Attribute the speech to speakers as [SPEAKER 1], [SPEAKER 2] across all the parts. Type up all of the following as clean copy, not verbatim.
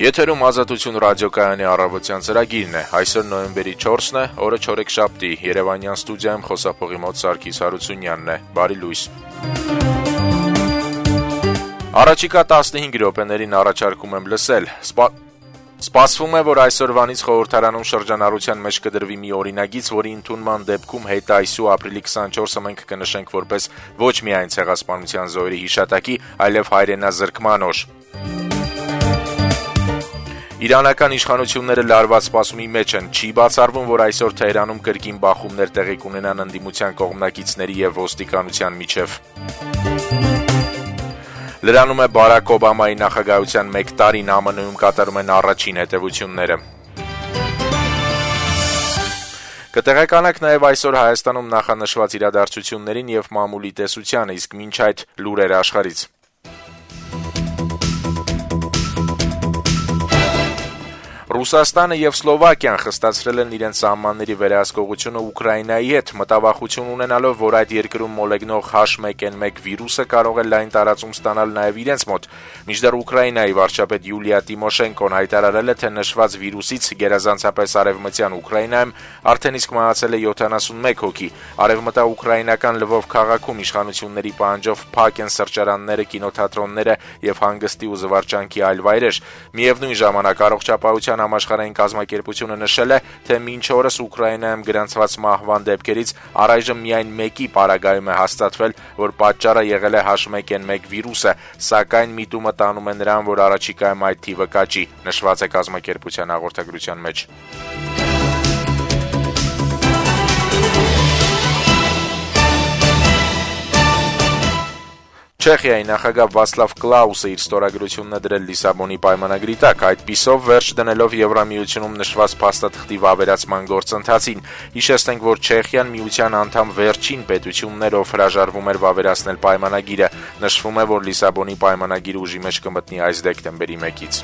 [SPEAKER 1] Եթերում Ազատություն ռադիոկայանի առավոտյան ծրագիրն է։ Այսօր նոյեմբերի 4-ն է, օրը չորեքշաբթի, Երևանյան ստուդիայում խոսափողի մոտ Սարգիս Հարությունյանն է։ Բարի լույս։ Առաջիկա 15 րոպեներին առաջարկում եմ լսել։ Սպասվում է, որ այսօրվանից խորհրդարանում շրջանառության մեջ կդրվի մի օրինագիծ, որի ընդունման դեպքում հետը այսու ապրիլի 24-ը մենք կնշենք որպես ոչ միայն ցեղասպանության զոհերի հիշատակի, այլև հայրենազրկման օր։ Իրանական իշխանությունները լարված սպասումի մեջ են, չի բացառվում, որ այսօր Թեհրանում կրկին բախումներ տեղի կունենան ընդդիմության կողմնակիցների եւ ոստիկանության միջև։ Լրանում է Բարակ Օբամայի նախագահության 1 տարին, ԱՄՆ-ում կատարում են առաջին հետևությունները։ Կտեղեկանաք նաև այսօր Հայաստանում նախանշված իրադարձություններին եւ մամուլի տեսությանը, իսկ մինչ այդ լուրեր աշխարհից։ Ռուսաստանը եւ Սլովակիան խստացրել են իրենց սահմանների վերահսկողությունը Ուկրաինայի հետ, մտավախություն ունենալով, որ այդ երկրում մոլեգնող H1N1 վիրուսը կարող է լայն տարածում ստանալ նաեւ իրենց մոտ։ Մինչդեռ Ուկրաինայի վարչապետ Յուլիա Տիմոշենկոն հայտարարել է, թե նշված վիրուսից գերազանցապես արևմտյան Ուկրաինայում արդեն իսկ մահացել է 71 հոգի։ Արևմտաուկրաինական Լվով քաղաքում իշխանությունների պահանջով փակ են սրճարանները, կինոթատրոնները եւ հանգստի ու զվարճանքի այլ վայրեր։ Միևնույն ժամանակ առողջապահության համաշխարհային կազմակերպությունը նշել է, թե մինչ օրս Ուկրաինայում գրանցված մահվան դեպքերից առայժմ միայն մեկի պարագայում է հաստատվել, որ պատճառը եղել է H1N1 վիրուսը, սակայն միտումը տանում է նրան, որ առաջիկայում այդ թիվը կաճի, նշված է կազմակերպության հաղորդագրության մեջ։ Չեխիայի նախագահ Վացլավ Կլաուսը իր ստորագրությունն է դրել Լիսաբոնի պայմանագրի տակ, այդպիսով վերջ դնելով Եվրամիությունում նշված փաստաթղթի վավերացման գործընթացին։ Հիշեցնենք, որ Չեխիան միության անդամ վերջին պետությունն էր, ով հրաժարվում էր վավերացնել պայմանագիրը։ Նշվում է, որ Լիսաբոնի պայմանագիրը ուժի մեջ կմտնի այս դեկտեմբերի 1-ից։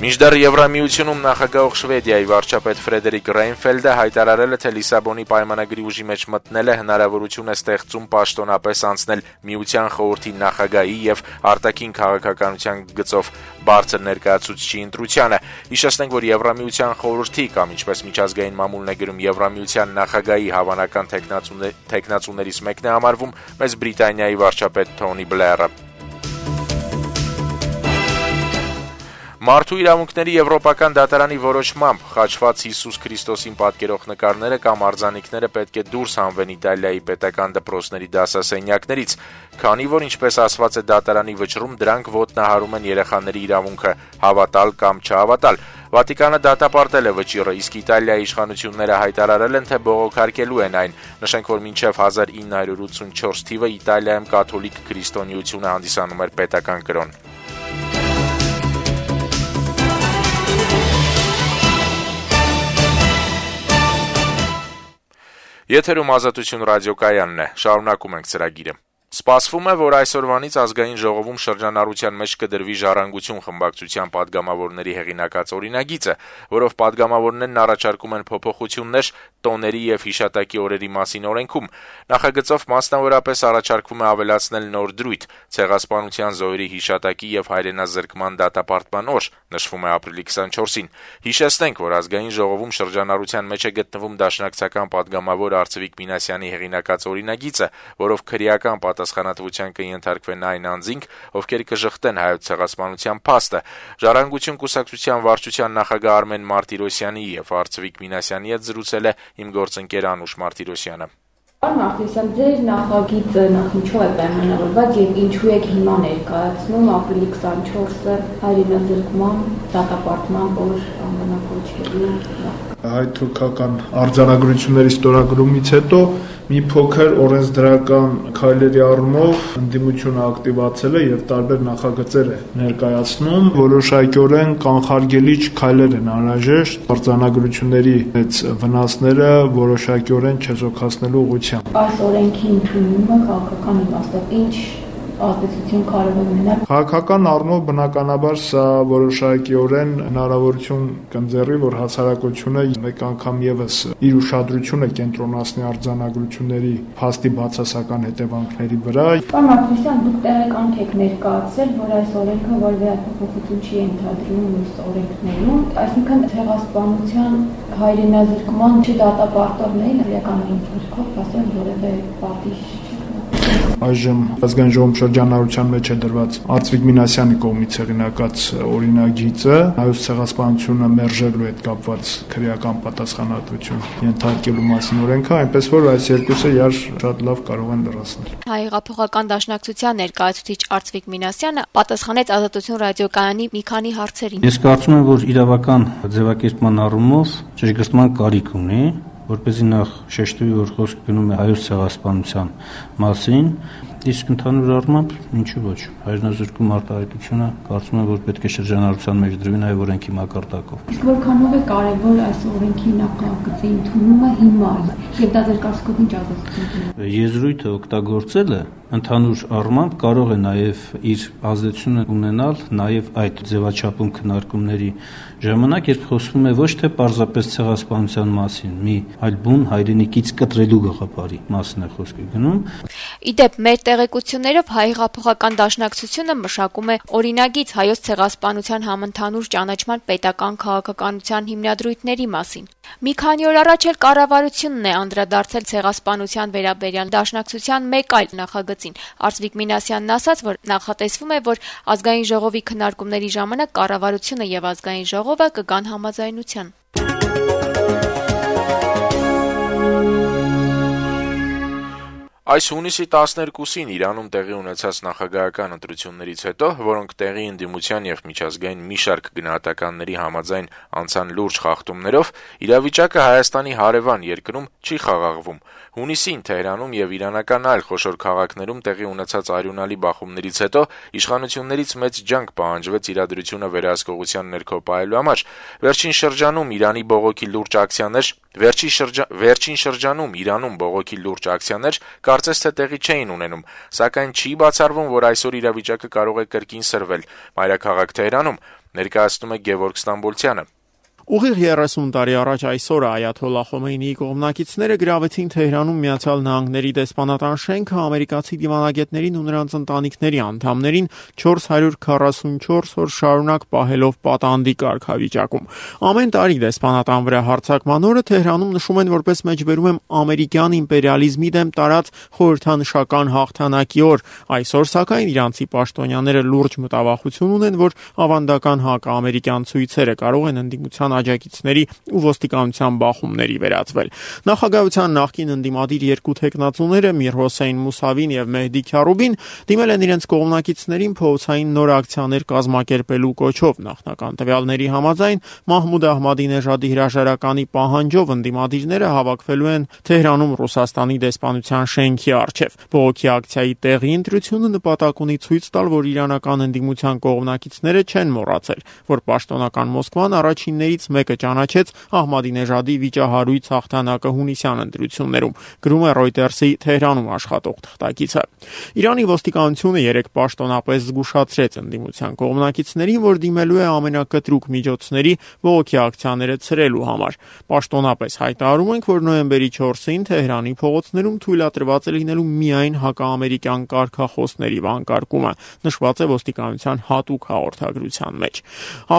[SPEAKER 1] Մինչդեռ Եվրամիությունում նախագահող Շվեդիայի վարչապետ Ֆրեդերիկ Ռեյնֆելդը հայտարարել է, թե Լիսաբոնի պայմանագրի ուժի մեջ մտնելը հնարավորություն է ստեղծում պաշտոնապես անցնել Միության խորհրդի նախագահի եւ արտաքին քաղաքականության գծով բարձր ներկայացուցչի ընտրությանը։ Հիշեցնենք, որ Եվրամիության խորհրդի կամ ինչպես միջազգային մամուլն է գրում Եվրամիության նախագահի հավանական թեկնածուներից մեկն է համարվում Մեծ Բրիտանիայի վարչապետ Թոնի Բլերը։ Մարդու իրավունքների եվրոպական դատարանի որոշմամբ խաչված Հիսուս Քրիստոսին պատկերող նկարները կամ արձանիկները պետք է դուրս հանվեն Իտալիայի պետական դպրոցների դասասենյակներից, քանի որ ինչպես ասված է դատարանի վճռում, դրանք ոտնահարում են երեխաների իրավունքը հավատալ կամ չհավատալ։ Վատիկանը դատապարտել է վճիռը, իսկ Իտալիայի իշխանությունները հայտարարել են, թե բողոքարկելու են այն։ Նշենք, որ մինչև 1984 թիվը Իտալիայում կաթոլիկ քրիստոնեությունը հանդիսանում էր պետական կրոն։ Եթերում Ազատություն ռադիոկայանն է, շարունակում ենք ծրագիրը։ Սպասվում է, որ այսօրվանից ազգային ժողովում շրջանառության մեջ կդրվի Ժառանգություն խմբակցության падգամավորների հեղինակած օրինագիծը, որով падգամավորներն առաջարկում են փոփոխություններ տոների եւ հիշատակի օրերի մասին օրենքում։ Նախագծով մասնավորապես առաջարկվում է ավելացնել նոր դրույթ՝ ցեղասպանության զոհերի հիշատակի եւ հայրենազրկման դատապարտման օր, նշվում է ապրիլի 24-ին։ Հիշեցնենք, որ ազգային ժողովում շրջանառության մեջ է գտնվում դաշնակցական падգամավոր Արծվիկ Մինասյանի հեղինակած օրինագիծը, որով քրեական պատասխանատվության կընթարկվեն այն անձինք, ովքեր կժխտեն հայոց ցեղասպանության փաստը։ Ժառանգություն կուսակցության վարչության նախագահ Արմեն Մարտիրոսյանի եւ Արծվիկ Մինասյանի հետ զրուցել է իմ գործընկեր Անուշ Մարտիրոսյանը։
[SPEAKER 2] Մարտիրոսյան, ձեր նախագիծը ինչու է պայմանավորված եւ ինչու եք հիմա ներկայացնում ապրիլի 24-ը հայրենազրկման դատապարտման օր անվանակոչելու։
[SPEAKER 3] Հայ-թուրքական արձանագրությունների ստորագրումից հետո մի փոքր օրենսդրական քայլերի առումով ընդդիմությունը ակտիվացել է եւ տարբեր նախագծեր է ներկայացնում, որոշակիորեն կանխարգելիչ քայլեր են անհրաժեշտ արձանագրությունների այդ վնասները որոշակիորեն չեզոքացնելու ուղղությամբ։
[SPEAKER 2] Այս օրենքի ընդունումը քաղաքական իմաստով ինչ ազդեցություն կարող է ունենալ։
[SPEAKER 3] Քաղաքական առումով բնականաբար սա որոշակիորեն հնարավորություն կընձեռի, որ հասարակությունը մեկ անգամ եւս իր ուշադրությունը կենտրոնացնի արձանագրությունների փաստի բացասական հետևանքների վրա։
[SPEAKER 2] Պարոն Մարտիրոսյան, դուք տեղեկանք եք ներկայացրել, որ այս օրենքը որևէ փոփոխություն չի ենթադրում մյուս օրենքներում, այսինքն ցեղասպանության հայրենազրկման չդատապարտողներին իրականային ծրագրով ասել որևէ պատիժ
[SPEAKER 3] Այժմ ազգային ժողովում շրջանառության մեջ է դրված Արծվիկ Մինասյանի կողմից հեղինակած օրինագիծը հայոց ցեղասպանությունը մերժելու հետ կապված քրեական պատասխանատվություն ենթարկելու մասին օրենքը, այնպես որ այս երկուսը իրար շատ լավ կարող են լրացնել։
[SPEAKER 4] Հայ հեղափոխական դաշնակցության ներկայացուցիչ Արծվիկ Մինասյանը պատասխանեց Ազատություն ռադիոկայանի մի քանի հարցերին։
[SPEAKER 5] Ես կարծում եմ, որ իրավական ձևակերպման առումով ճշգրտման կարիք ունի, որպեսզի նախ շեշտվի, որ խոսքը գնում է հայոց ցեղասպանության մասին, իսկ ընդհանուր առմամբ ինչու ոչ, հայրենազրկում արտահայտությունը կարծում եմ, որ պետք է շրջանառության մեջ դրվի նաև օրենքի մակարդակով։
[SPEAKER 2] Իսկ որքանով է կարևոր այս օրենքի նախագծի ընդունումը հիմա, եւ դա ձեր կարծիքով ինչ ազդեցություն ունի։
[SPEAKER 5] Եզրույթը օգտագործելը ընդհանուր առմամբ կարող է նաև իր ազդեցությունը ունենալ նաև այդ ձևաչափում քննարկումների ժամանակ, երբ խոսվում է ոչ թե պարզապես ցեղասպանության մասին, մի այլ բուն հայրենիքից կտրելու գաղափարի մասին է խոսքը գնում։
[SPEAKER 4] Իդեպ մեր տեղեկություններով Հայ հեղափոխական դաշնակցությունը մշակում է օրինագիծ հայոց ցեղասպանության համընդհանուր ճանաչման պետական քաղաքականության հիմնադրույթների մասին։ Մի քանի օր առաջ էլ կառավարությունն է անդրադարձել ցեղասպանության վերաբերյալ դաշնակցության մեկ այլ նախագծին։ Արծվիկ Մինասյանն ասաց, որ նախատեսվում է, որ ազգային ժողովի քննարկումների ժամանակ կառավարությունը եւ ազգային ժողովը կգան համաձայնության։
[SPEAKER 1] Այս հունիսի 12-ին Իրանում տեղի ունեցած նախագահական ընտրություններից հետո, որոնք տեղի ընդդիմության եւ միջազգային մի շարք գնահատականների համաձայն անցան լուրջ խախտումներով, իրավիճակը Հայաստանի հարևան երկրում չի խաղաղվում։ Հունիսին Թեհրանում եւ իրանական այլ խոշոր քաղաքներում տեղի ունեցած արյունալի բախումներից հետո իշխանություններից մեծ ջանք պահանջվեց իրադրությունը վերահսկողության ներքո պահելու համար։ Վերջին շրջանում Իրանում բողոքի լուրջ ակցիաներ կարծես թե տեղի չէին ունենում, սակայն չի բացառվում, որ այսօր իրավիճակը կարող է կրկին սրվել։ Մայրաքաղաք Թեհրանում ներկայացնում է Գևորգ Ստամբոլցյանը։
[SPEAKER 6] Ուղիղ 30 տարի առաջ այսօր Այաթոլլա Խոմեյնիի կողմնակիցները գրավեցին Թեհրանում Միացյալ Նահանգների դեսպանատան շենքը ամերիկացի դիվանագետներին ու նրանց ընտանիքների անդամներին 444 օր շարունակ պահելով պատանդի կարգավիճակում։ Ամեն տարի դեսպանատան վրա հարձակման օրը Թեհրանում նշում են որպես մեջբերում եմ ամերիկյան իմպերիալիզմի դեմ տարած խորհրդանշական հաղթանակի օր։ Այսօր սակայն իրանցի պաշտոնյաները լուրջ մտավախություն ունեն, որ ավանդական հակաամերիկյան ցույցերը կարող են ընդդիմության աջակիցների ու ոստիկանության բախումների վերածվել։ Նախագահության նախկին ընդդիմադիր երկու թեկնածուները Միր Հոսեյն Մուսավին եւ Մեհդի Քյարուբին դիմել են իրենց կողմնակիցներին փողոցային նոր ակցիաներ կազմակերպելու կոչով։ Նախնական տվյալների համաձայն Մահմուդ Ահմադինեժադի հրաժարականի պահանջով ընդդիմադիրները հավաքվելու են Թեհրանում Ռուսաստանի դեսպանության շենքի առջև։ Բողոքի ակցիայի տեղի ընտրությունը նպատակ ունի ցույց տալ, որ իրանական ընդդիմության կողմնակիցները չեն մոռացել, որ պաշտոնական Մոսկվան առաջիններից մեկը ճանաչեց Ահմադինեժադի վիճահարույց հաղթանակը հունիսյան ընտրություններում, գրում է Reuters-ի Թեհրանում աշխատող թղթակիցը։ Իրանի ոստիկանությունը երեք պաշտոնապես զգուշացրեց ընդդիմության կողմնակիցներին, որ դիմելու է ամենակտրուկ միջոցների բողոքի ակցիաները ցրելու համար։ Պաշտոնապես հայտարարում ենք, որ նոյեմբերի 4-ին Թեհրանի փողոցներում թույլատրված է լինելու միայն հակաամերիկյան կարգախոսների վանկարկումը, նշված է ոստիկանության հատուկ հաղորդագրության մեջ։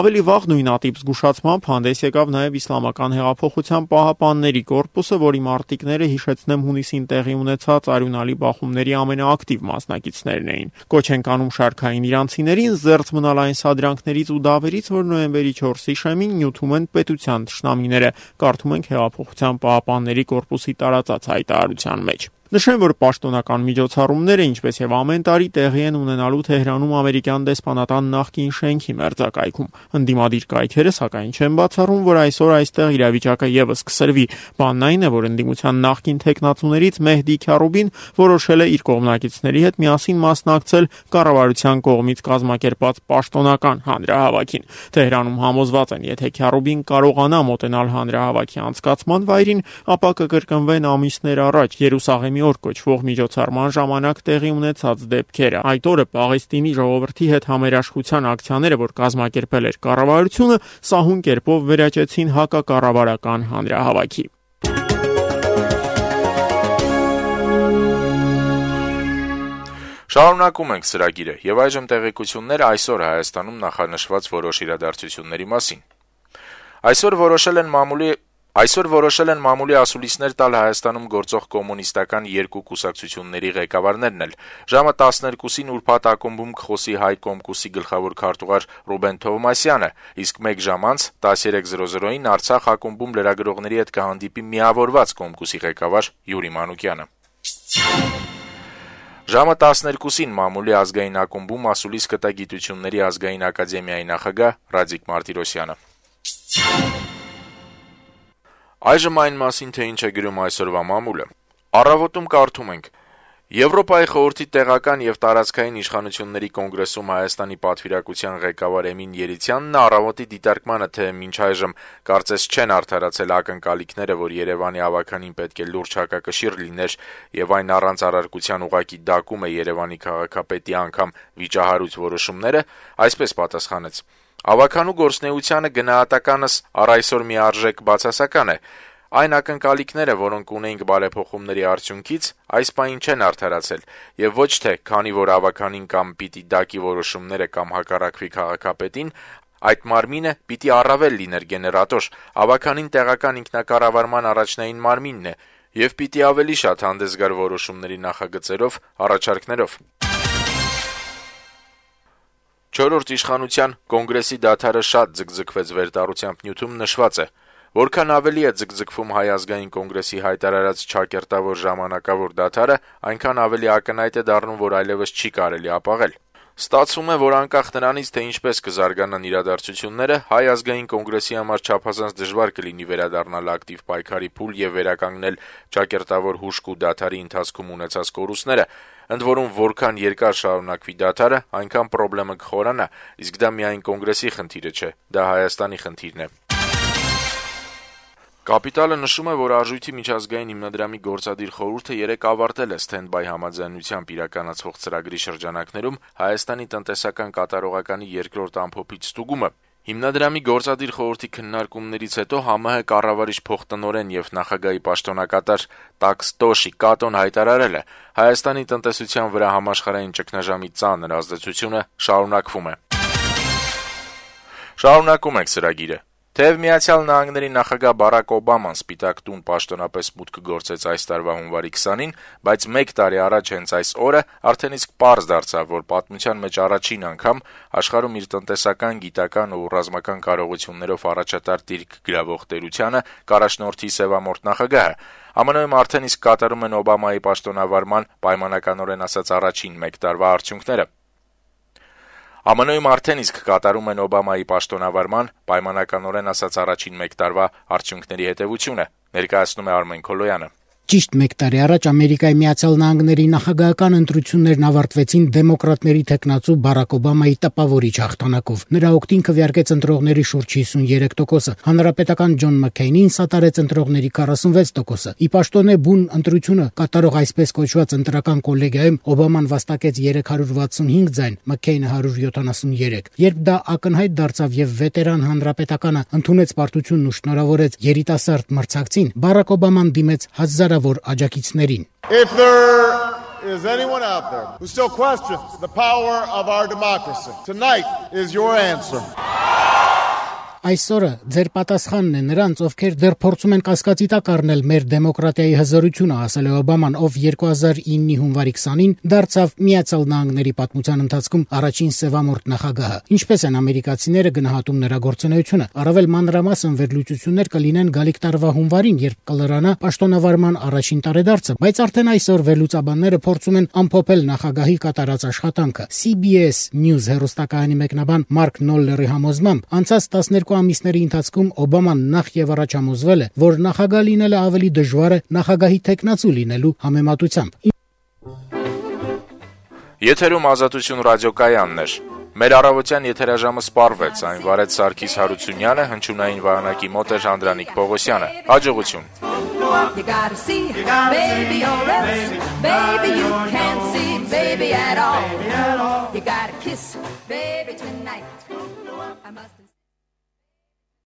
[SPEAKER 6] Ավելի վաղ նույնատիպ զգուշացմամբ հանդես եկավ նաև Իսլամական հեղափոխության պահապանների կորպուսը, որի մարտիկները հիշեցնեմ հունիսին տեղի ունեցած արյունալի բախումների ամենաակտիվ մասնակիցներն էին։ Կոչ են կանում շարքային իրանցիներին զերծ մնալ այն սադրանքներից ու դավերից, որ նոյեմբերի 4-ի շեմին նյութում են պետության թշնամիները, կարդում ենք հեղափոխության պահապանների կորպուսի տարածած հայտարարության մեջ։ Նշեմ, որ պաշտոնական միջոցառումները, ինչպես եւ ամեն տարի, տեղի են ունենալու Թեհրանում ամերիկյան դեսպանատան նախկին շենքի մերձակայքում։ Ընդդիմադիր կայքերը սակայն չեն բացառում, որ այսօր այստեղ իրավիճակը եւս կսրվի։ Բանն այն է, որ ընդդիմության նախկին թեկնածուներից Մեհդի Քյարուբին որոշել է իր կողմնակիցների հետ միասին մասնակցել կառավարության կողմից կազմակերպած պաշտոնական հանրահավաքին։ Թեհրանում համոզված են, եթե Քյարուբին կարողանա մոտենալ հանրահավաքի անցկացման վայրին, ապա կկրկնվեն ամիսներ առաջ Երուսաղեմի Հայաստանի օր կոչվող միջոցառման ժամանակ տեղի ունեցած դեպքերը։ Այդ օրը Պաղեստինի ժողովրդի հետ համերաշխության ակցիաները, որ կազմակերպել էր կառավարությունը, սահուն կերպով վերաճեցին հակակառավարական հանրահավաքի։
[SPEAKER 1] Շարունակում ենք ծրագիրը եւ այժմ տեղեկություններ այսօր Հայաստանում նախանշված որոշ իրադարձությունների մասին։ Այսօր որոշել են մամուլի ասուլիսներ տալ Հայաստանում գործող կոմունիստական երկու կուսակցությունների ղեկավարներն էլ։ Ժամը 12-ին ուրբաթ ակումբում կխոսի Հայ Կոմկուսի գլխավոր քարտուղար Ռուբեն Թովմասյանը, իսկ 1 ժամ անց 13:00-ին Արցախ ակումբում լրագրողների հետ կհանդիպի միավորված Կոմկուսի ղեկավար Յուրի Մանուկյանը։ Ժամը 12-ին մամուլի ազգային ակումբում ասուլիս կտա Գիտությունների ազգային ակադեմիայի նախագահ Ռադիկ Մարտիրոսյանը։ Այժմ այն մասին, թե ինչ է գրում այսօրվա մամուլը։ Առավոտում կարդում ենք. Եվրոպայի խորհրդի տեղական եւ տարածքային իշխանությունների կոնգրեսում Հայաստանի պատվիրակության ղեկավար Էմին Երիցյանն առավոտի դիտարկմանը, թե մինչ այժմ կարծես չեն արդարացել ակնկալիքները, որ Երևանի ավականին պետք է լուրջ հակակշիռ լիներ եւ այն առանց առարկության ուղղակի դակում է Երևանի քաղաքապետի անգամ վիճահարույց որոշումները, այսպես պատասխանեց. Ավականու գործնեությանը գնահատականս առ այսօր միարժեք բացասական է։ Այն ակնկալիքները, որոնք ունեինք բարեփոխումների արդյունքից, այս պահին չեն արդարացել, եւ ոչ թե քանի որ ավականին կամ պիտի դակի որոշումները կամ հակառակվի քաղաքապետին, այդ մարմինը պիտի առավել լիներ գեներատոր, ավականին տեղական ինքնակառավարման առաջնային մարմինն է, եւ պիտի ավելի շատ հանդես գար որոշումների նախագծերով, առաջարկներով։ Չորրորդ իշխանության կոնգրեսի դադարը շատ ձգձգվեց վերտառությամբ նյութում նշված է. Որքան ավելի է ձգձգվում Հայ ազգային կոնգրեսի հայտարարած չակերտավոր ժամանակավոր դադարը, այնքան ավելի ակնհայտ է դառնում, որ այլևս չի կարելի ապաղել։ Ստացվում է, որ անկախ նրանից, թե ինչպես կզարգանան իրադարձությունները, Հայ ազգային կոնգրեսի համար չափազանց դժվար կլինի վերադառնալ ակտիվ պայքարի փուլ եւ վերականգնել չակերտավոր հուշք ու դադարի ընթացքում ունեցած կորուստները, ընդ որում որքան երկար շարունակվի դադարը, այնքան խնդրեմը կխորանա, իսկ դա միայն կոնգրեսի խնդիրը չէ, դա Հայաստանի խնդիրն է։ Կապիտալը նշում է, որ Արժույթի միջազգային հիմնադրամի գործադիր խորհուրդը երեկ ավարտել է սթենդբայ համաձայնությամբ իրականացվող ծրագրի շրջանակներում Հայաստանի տնտեսական կատարողականի երկրորդ ամփոփիչ ստուգումը։ Հիմնադրամի գործադիր խորհրդի քննարկումներից հետո ՀՄՀ կառավարիչ փոխտնօրեն եւ նախագահի պաշտոնակատար Տաքստոշի Կատոն հայտարարել է. Հայաստանի տնտեսության վրա համաշխարհային ճգնաժամի ծանր ազդեցությունը շարունակվում է։ Շարունակում ենք ծրագիրը։ Թեև Միացյալ Նահանգների նախագահ Բարակ Օբաման Սպիտակ տուն պաշտոնապես մուտք գործեց այս տարվա հունվարի 20-ին, բայց 1 տարի առաջ հենց այս օրը արդեն իսկ պարզ դարձավ, որ պատմության մեջ առաջին անգամ աշխարհում իր տնտեսական, գիտական ու ռազմական կարողություններով առաջատար դիրք գրավող տերությանը կառաջնորդի սևամորթ նախագահը։ ԱՄՆ-ում արդեն իսկ կատարում են Օբամայի պաշտոնավարման պայմանականորեն ասած առաջին 1 տարվա արդյունքները։ ԱՄՆ-ում արդեն իսկ կատարում են Օբամայի պաշտոնավարման պայմանականորեն ասած առաջին 1 տարվա արդյունքների հետևությունը, ներկայացնում է Արմեն Քոլոյանը։
[SPEAKER 7] Ճիշտ 1 տարի առաջ Ամերիկայի Միացյալ Նահանգների նախագահական ընտրություններն ավարտվեցին դեմոկրատների թեկնածու Բարակ Օբամայի տպավորիչ հաղթանակով։ Նրա օգտին քվեարկեց ընտրողների շուրջ 53%-ը, հանրապետական Ջոն Մաքքեյնին սատարեց ընտրողների 46%-ը։ Ի պաշտոնե բուն ընտրությունը կատարող այսպես կոչված ընտրական կոլեգիայում Օբաման վաստակեց 365 ձայն, Մաքքեյնը 173։ Երբ դա ակնհայտ դարձավ եւ վետերան հանրապետականը ընդունեց պարտությունն ու շնորհավորեց երիտասարդ մրցակցին, Բարակ Օբաման դիմեց հազարավոր աջակիցներին։
[SPEAKER 8] If there is anyone out there who still questions the power of our democracy, tonight is your answer.
[SPEAKER 7] Այսօրը ձեր պատասխանն է նրանց, ովքեր դեռ փորձում են կասկածի տակ առնել մեր դեմոկրատիայի հզորությունը, ասել է Օբաման, ով 2009-ի հունվարի 20-ին դարձավ Միացյալ Նահանգների պատմության ընթացքում առաջին սևամորթ նախագահը։ Ինչպես են ամերիկացիները գնահատում նրա գործունեությունը, առավել մանրամասն վերլուծություններ կլինեն գալիք տարվա հունվարին, երբ կլրանա պաշտոնավարման առաջին տարեդարձը, բայց արդեն այսօր վերլուծաբանները փորձում են ամփոփել նախագահի կատարած աշխատանքը։ CBS News հեռուստակայանի մեկնաբան Մարկ Նոլլերի համոզմամբ, անցած 12 ամիսների ընթացքում Օբաման նախ եւ առաջ համոզվել է, որ նախագահ լինելը ավելի դժվար է նախագահի թեկնածու լինելու համեմատությամբ։
[SPEAKER 1] Եթերում Ազատություն ռադիոկայանն էր։ Մեր առավոտյան եթերաժամը սպառվեց, այն վարեց Սարգիս Հարությունյանը, հնչյունային վահանակի մոտ էր Անդրանիկ Պողոսյանը։ Հաջողություն։
[SPEAKER 9] You gotta see, baby, or else, baby, you can't see, baby, at all. You gotta kiss, baby, tonight. I must